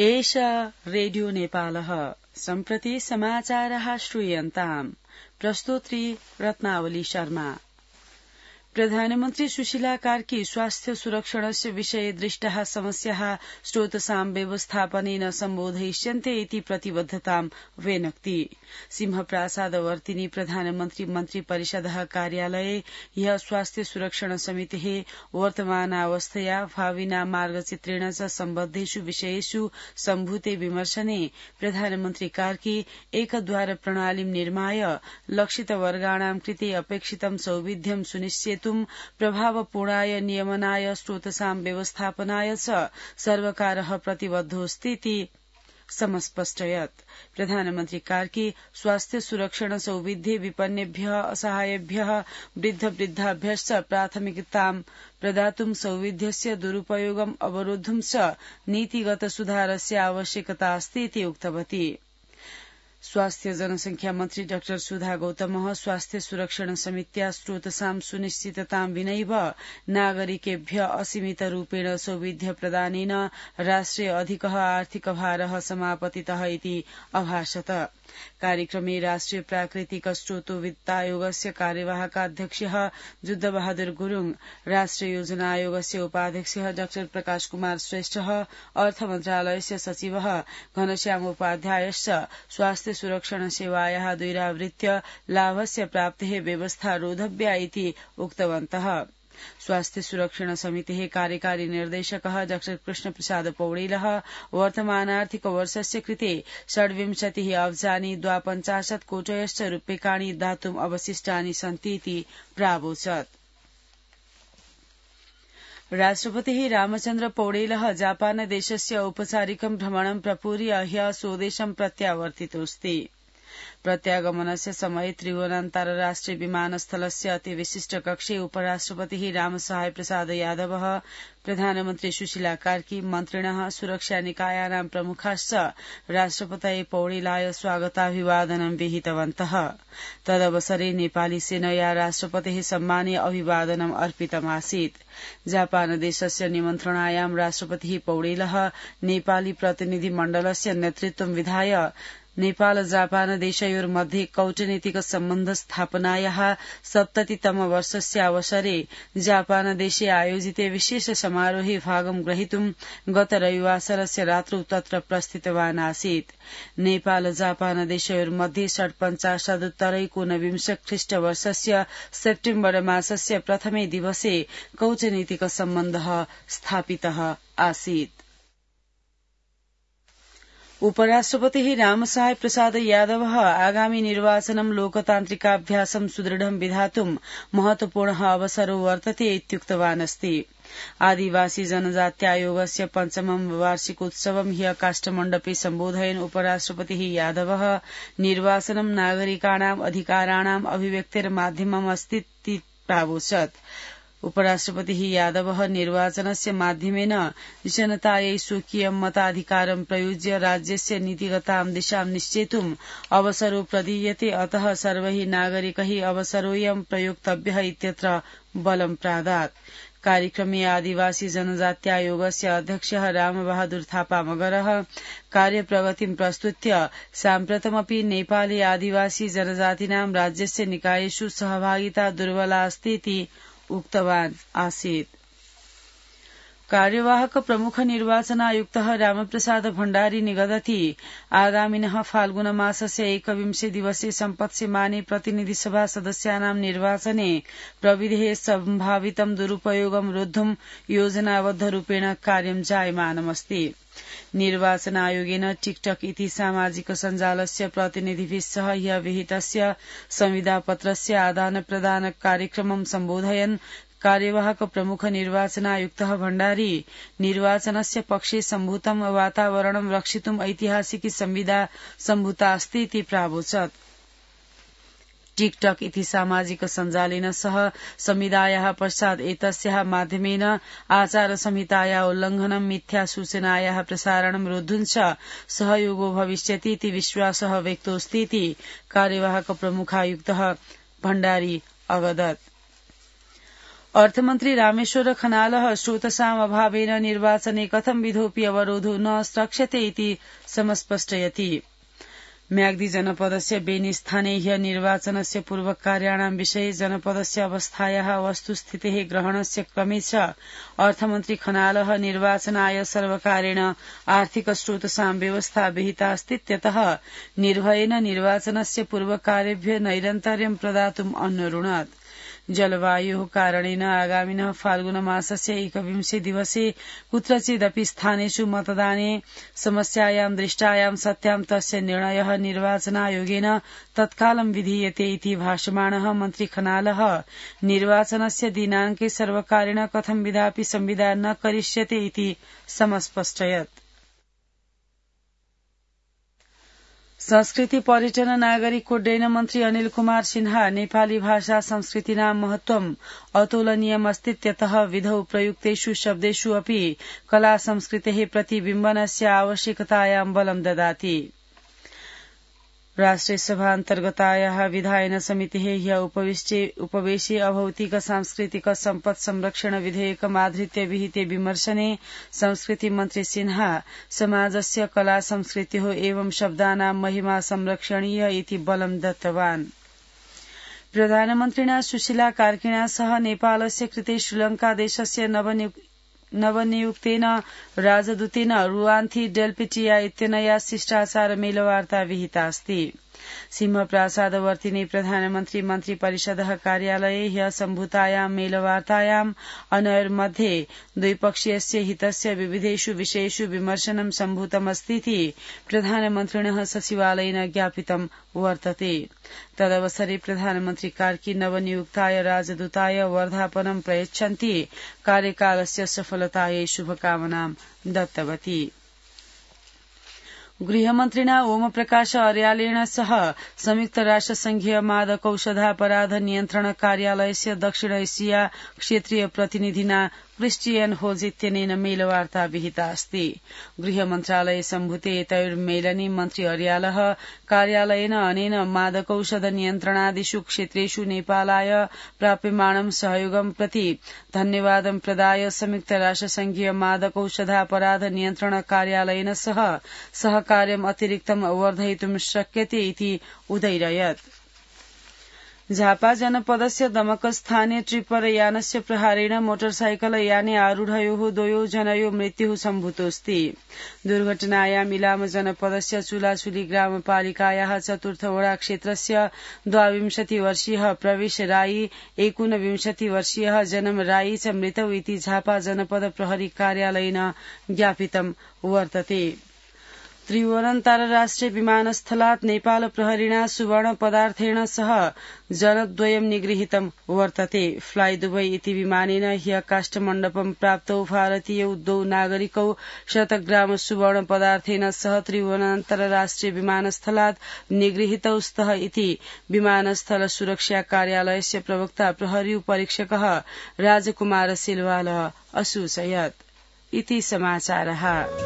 एषा रेडियो नेपालः सम्प्रति समाचारः श्रूयन्ताम् प्रस्तोत्री रत्नावली शर्मा। प्रधानमन्त्री सुशीला कार्की स्वास्थ्य सुरक्षणस्य विषये दृष्टाः समस्याः स्रोतसां व्यवस्थापनेन सम्बोधयिष्यन्ते इति प्रतिबद्धतां व्यनक्ति। सिंहप्रासादवर्तिनी प्रधानमन्त्री मन्त्री परिषदः कार्यालये ह्यः स्वास्थ्य सुरक्षण समितेः वर्तमानावस्थया भाविना मार्गचित्रेण च सम्बद्धेषु विषयेषु सम्भूते विमर्शने प्रधानमन्त्री कार्की एकद्वार प्रणालीं निर्माय लक्षितवर्गाणां कृते अपेक्षितं सौविध्यं सुनिश्चेतुं प्रभावपूर्णाय नियमनाय स्रोतसां व्यवस्थापनाय च सर्वकारः प्रतिबद्धोऽस्तीति समस्पष्टयत्। प्रधानमन्त्री कार्की स्वास्थ्य सुरक्षण सौविध्ये विपन्नेभ्यः असहायेभ्यः वृद्धवृद्धाभ्यश्च प्राथमिकतां प्रदातुं सौविध्यस्य दुरुपयोगम् अवरोद्धुं च नीतिगत सुधारस्य आवश्यकता अस्ति इति उक्तवती। स्वास्थ्य जनसंख्या मन्त्री डाक्टर सुधा गौतमः स्वास्थ्य सुरक्षण समित्या स्रोतसां सुनिश्चिततां विनैव नागरिकेभ्य असीमित रूपेण सौविध्य प्रदानेन राष्ट्रे अधिकः आर्थिक भारः समापतितः इति अभाषत। कार्यक्रमे राष्ट्रिय प्राकृतिक स्रोतो वित्तायोगस्य कार्यवाहकाध्यक्षः जुद्धबहादुर गुरूङ, राष्ट्रिय योजना आयोगस्य उपाध्यक्षः डाक्टर प्रकाश कुमार श्रेष्ठः, अर्थ मन्त्रालयस्य सचिवः घनश्याम उपाध्यायश्च स्वास्थ्य सुरक्षण सेवायाः द्वैरावृत्य लाभस्य प्राप्तेः व्यवस्था रोधव्या इति उक्तवन्तः। स्वास्थ्य सुरक्षण समितेः कार्यकारी निर्देशकः डाक्टर कृष्ण प्रसाद पौडेलः वर्तमानार्थिक वर्षस्य कृते 26 अब्जानि 52 कोटयश्च रूप्यकाणि दातुम् अवशिष्टानि सन्ति इति प्रावोचत्। राष्ट्रपतिः रामचन्द्र पौडेलः जापान देशस्य औपचारिकं भ्रमणं प्रपूर्य ह्यः स्वदेशं प्रत्यावर्तितोऽस्ति। प्रत्यागमनस्य समये त्रिभुवनान्तर्राष्ट्रिय विमानस्थलस्य अतिविशिष्ट कक्षे उपराष्ट्रपतिः रामसहाय प्रसाद यादवः, प्रधानमन्त्री सुशीला कार्की, मन्त्रिणः, सुरक्षा निकायानां प्रमुखाश्च राष्ट्रपतये पौडेलाय स्वागताभिवादनं विहितवन्तः। तदवसरे नेपाली सेनया राष्ट्रपतेः सम्माने अभिवादनम् अर्पितमासीत्। जापान देशस्य निमन्त्रणायां राष्ट्रपतिः पौडेलः नेपाली प्रतिनिधि मण्डलस्य नेतृत्वं विधाय नेपाल जापान देशयोर्मध्ये कौटनीतिक सम्बन्ध स्थापनायाः 70तम वर्षस्य अवसरे जापान देशे आयोजिते विशेष समारोहे भागं ग्रहीतुं गत रविवासरस्य रात्रौ तत्र प्रस्थितवान् आसीत्। नेपाल जापान देशयोर्मध्ये 47 ख्रीष्टवर्षस्य सेप्टेम्बर मासस्य प्रथमे दिवसे कौटनीतिक सम्बन्धः स्थापितः आसीत्। उपराष्ट्रपतिः रामसहाय प्रसाद यादवः आगामि निर्वाचनं लोकतान्त्रिकाभ्यासं सुदृढं विधातुं महत्वपूर्णः अवसरो वर्तते इत्युक्तवान् अस्ति। आदिवासी जनजात्यायोगस्य 5मं वार्षिकोत्सवं ह्यः काष्ठमण्डपे सम्बोधयन् उपराष्ट्रपतिः यादवः निर्वाचनं नागरिकाणाम् अधिकाराणाम् अभिव्यक्तेर्माध्यमम् अस्तीति प्रावोचत्। उपराष्ट्रपतिः यादवः निर्वाचनस्य माध्यमेन जनतायै स्वकीयं मताधिकारं प्रयुज्य राज्यस्य नीतिगतां दिशां निश्चेतुम् अवसरो प्रदीयते, अतः सर्वैः नागरिकैः अवसरोऽयं प्रयोक्तव्यः इत्यत्र बलं प्रादात्। कार्यक्रमे आदिवासी जनजात्यायोगस्य अध्यक्षः रामबहादुर थापा मगरः कार्यप्रगतिं प्रस्तुत्य साम्प्रतमपि नेपाली आदिवासी जनजातीनां राज्यस्य निकायेषु सहभागिता दुर्बला अस्ति इति उक्तवान् आसीत्। कार्यवाहक प्रमुख निर्वाचनायुक्तः रामप्रसाद भण्डारी निगदति आगामिनः फाल्गुन मासस्य 21 दिवसे सम्पत्स्यमाने प्रतिनिधि सभा सदस्यानां निर्वाचने प्रविधेः सम्भावितं दुरुपयोगं रोद्धुं योजनाबद्धरूपेण कार्यं जायमानमस्ति। निर्वाचन आयोगेन टिकटक इति सामाजिक सञ्जालस्य प्रतिनिधिभिः सह ह्यः विहितस्य संविदापत्रस्य आदानप्रदान कार्यक्रमं सम्बोधयन् कार्यवाहक प्रमुख निर्वाचनायुक्तः भण्डारी निर्वाचनस्य पक्षे सम्भूतं वातावरणं रक्षितुं ऐतिहासिकी संविदा सम्भूता अस्ति इति प्रावोचत्। टिकटक इति सामाजिक सञ्जालेन सह संविदायाः पश्चात् एतस्याः माध्यमेन आचार संहितायाः उल्लङ्घनं, मिथ्या सूचनायाः प्रसारणं रोद्धुं च सहयोगो भविष्यति इति विश्वासः व्यक्तोऽस्ति इति कार्यवाहक प्रमुखायुक्तः भण्डारी अवदत्। अर्थमन्त्री रामेश्वर खनालः स्रोतसाम अभावेन निर्वाचने कथं विधोऽपि अवरोधो न स्रक्ष्यते इति समस्पष्टयति। म्याग्दी जनपदस्य बेनीस्थाने ह्य निर्वाचनस्य पूर्वकार्याणां विषये जनपदस्य अवस्थायाः वस्तुस्थितेः ग्रहणस्य क्रमे च अर्थमन्त्री खनालः निर्वाचनाय सर्वकारेण आर्थिक स्रोतसां व्यवस्था विहितास्तीत्यतः निर्भयेन निर्वाचनस्य पूर्वकार्येभ्यः नैरन्तर्यं प्रदातुम् अन्वरुणत्। जलवायोः कारणेन आगामिनः फाल्गुनमासस्य 21 दिवसे कुत्रचिदपि स्थानेषु मतदाने समस्यायां दृष्टायां सत्यां तस्य निर्णयः निर्वाचनायोगेन तत्कालं विधीयते इति भाषमाणः मन्त्री खनालः निर्वाचनस्य दिनाङ्के सर्वकारेण कथं विधापि संविदा न करिष्यते इति समस्पष्टयत्। संस्कृति पर्यटन नागरिक उड्डयन मन्त्री अनिल कुमार सिन्हा नेपाली भाषा संस्कृतिनां महत्त्वम् अतुलनीयमस्तीत्यतः विधौ प्रयुक्तेषु शब्देषु अपि कला संस्कृतेः प्रतिबिम्बनस्य आवश्यकतायां बलं ददाति। राष्ट्रिय सभान्तर्गतायाः विधायन समितेः ह्य उपवेशे अभौतिक सांस्कृतिक सम्पत् संरक्षण विधेयकमाधृत्य विहिते विमर्शने संस्कृति मन्त्री सिन्हा समाजस्य कला संस्कृत्योः एवं शब्दानां महिमा संरक्षणीय इति बलं दत्तवान्। प्रधानमन्त्रिणा सुशीला कार्किणा सह नेपालस्य कृते श्रीलङ्का देशस्य नवनियुक्तेन राजदूतेन रुआन्थी डेल्पिटिया इत्यनया शिष्टाचार मेलवार्ता विहितास्ति। सिंहप्रासादवर्तिने प्रधानमन्त्री मन्त्री परिषदः कार्यालये ह्य सम्भूतायां मेलवार्तायाम् अनयोर्मध्ये द्विपक्षीयस्य हितस्य विविधेषु विषयेषु विमर्शनं सम्भूतमस्तीति प्रधानमन्त्रिणः सचिवालयेन ज्ञापितं वर्तते। तदवसरे प्रधानमन्त्री कार्की नवनियुक्ताय राजदूताय वर्धापनं प्रयच्छन्ती कार्यकालस्य सफलतायै शुभकामनां दत्तवती। गृहमन्त्रिणा ओमप्रकाश अर्यालेण सह संयुक्त राष्ट्रसंघीय मादकौषधापराध नियन्त्रण कार्यालयस्य दक्षिण एशिया क्षेत्रीय प्रतिनिधिना क्रिस्टियन होज इत्यनेन मेलवार्ता विहितास्ति। गृहमन्त्रालये सम्भूते एतयोर्मेलने मन्त्री अर्यालः कार्यालयेन अनेन मादकौषध नियन्त्रणादिषु क्षेत्रेषु नेपालाय प्राप्यमाणं सहयोगं प्रति धन्यवादं प्रदाय संयुक्त राष्ट्रसंघीय मादकौषधापराध नियन्त्रण कार्यालयेन सह सहकार्यम् अतिरिक्तम् वर्धयितुं शक्यते इति उदैरयत्। झापा जनपदस्य दमकस्थाने ट्रिपर यानस्य प्रहारेण मोटरसाइकल याने आरूढयोः द्वयोः जनयोः मृत्युः सम्भूतोऽस्ति। दुर्घटनायाम् इलाम जनपदस्य चुलाचुली ग्रामपालिकायाः चतुर्थ वडा क्षेत्रस्य 22 वर्षीयः प्रवेश राई 29 वर्षीयः जन्म राई च मृतौ इति झापा जनपद प्रहरी कार्यालयेन ज्ञापितं वर्तते। त्रिभुवनान्तर्राष्ट्रिय विमानस्थलात् नेपाल प्रहरिणा सुवर्ण पदार्थेन सह जनद्वयं निगृहीतं वर्तते। फ्लाई दुबई इति विमानेन ह्य काष्ठमण्डपं प्राप्तौ भारतीयौ द्वौ नागरिकौ 100 ग्राम सुवर्ण पदार्थेन सह त्रिभुवनान्तर्राष्ट्रिय विमानस्थलात् निगृहीतौ स्तः इति विमानस्थल सुरक्षा कार्यालयस्य प्रवक्ता प्रहरी उपरीक्षकः राजकुमार सिलवाल असूचयत्। इति समाचारः।